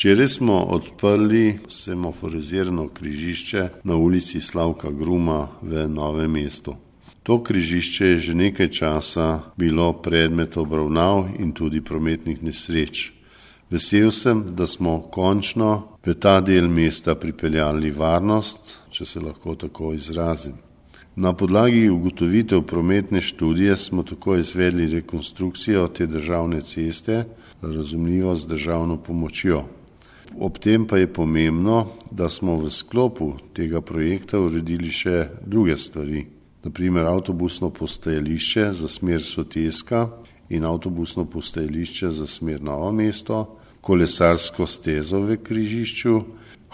Včeraj smo odprli semaforizirano križišče na ulici Slavka Gruma v Novem mestu. To križišče je že nekaj časa bilo predmet obravnav in tudi prometnih nesreč. Vesel sem, da smo končno v ta del mesta pripeljali varnost, če se lahko tako izrazim. Na podlagi ugotovitev prometne študije smo tako izvedli rekonstrukcijo te državne ceste, razumljivo z državno pomočjo. Ob tem pa je pomembno, da smo v sklopu tega projekta uredili še druge stvari. Naprimer avtobusno postajališče za smer Soteska in avtobusno postajališče za smer Novo mesto, kolesarsko stezo v križišču,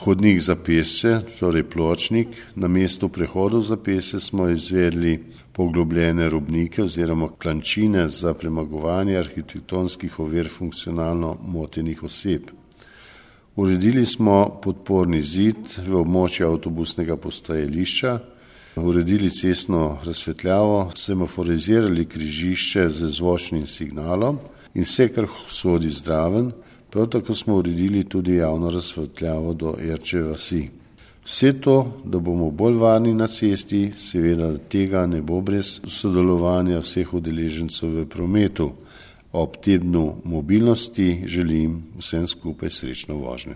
hodnik za pešce, torej pločnik, na mestu prehodov za pešce smo izvedli poglobljene robnike oziroma klančine za premagovanje arhitektonskih ovir funkcionalno motenih oseb. Uredili smo podporni zid v območju avtobusnega postajališča, uredili cestno razsvetljavo, semaforizirali križišče z zvočnim signalom in vse, kar sodi zraven. Prav tako smo uredili tudi javno razsvetljavo do Erče vasi. Vse to, da bomo bolj varni na cesti, seveda tega ne bo brez sodelovanja vseh udeležencev v prometu. Ob tednu mobilnosti želim vsem skupaj srečno vožnjo.